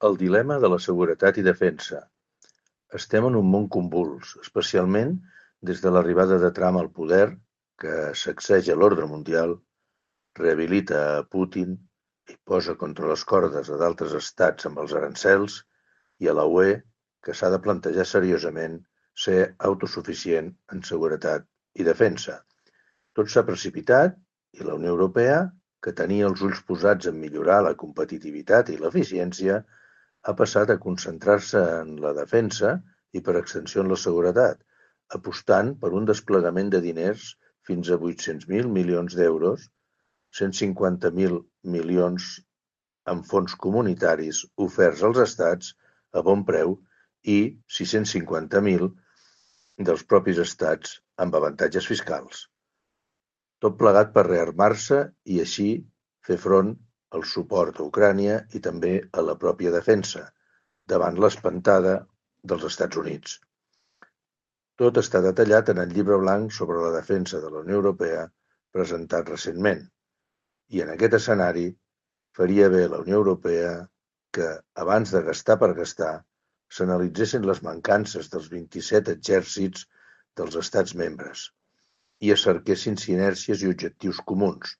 El dilema de la seguretat i defensa. Estem en un món convuls, especialment des de l'arribada de Trump al poder, que sacseja l'ordre mundial, rehabilita a Putin i posa contra les cordes a d'altres estats amb els arancels, i a la UE, que s'ha de plantejar seriosament ser autosuficient en seguretat i defensa. Tot s'ha precipitat i la Unió Europea, que tenia els ulls posats en millorar la competitivitat i l'eficiència, ha passat a concentrar-se en la defensa i, per extensió, en la seguretat, apostant per un desplegament de diners fins a 800.000 milions d'euros, 150.000 milions en fons comunitaris oferts als estats a bon preu i 650.000 dels propis estats amb avantatges fiscals. Tot plegat per rearmar-se i així fer front al suport a Ucrània i també a la pròpia defensa, davant l'espantada dels Estats Units. Tot està detallat en el llibre blanc sobre la defensa de la Unió Europea presentat recentment. I en aquest escenari faria bé la Unió Europea que, abans de gastar per gastar, s'analitzessin les mancances dels 27 exèrcits dels estats membres i es cerquessin sinergies i objectius comuns,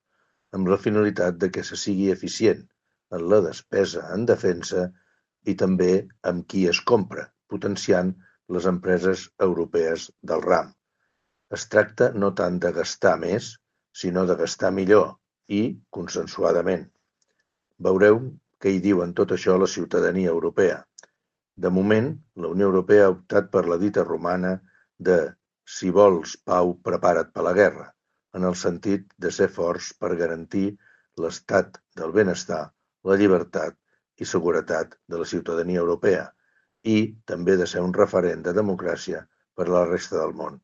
amb la finalitat de que se sigui eficient en la despesa en defensa i també amb qui es compra, potenciant les empreses europees del ram. Es tracta no tant de gastar més, sinó de gastar millor i consensuadament. Veureu què hi diu en tot això la ciutadania europea. De moment, la Unió Europea ha optat per la dita romana de «si vols pau, prepara't per la guerra», en el sentit de ser forts per garantir l'estat del benestar, la llibertat i seguretat de la ciutadania europea i també de ser un referent de democràcia per a la resta del món.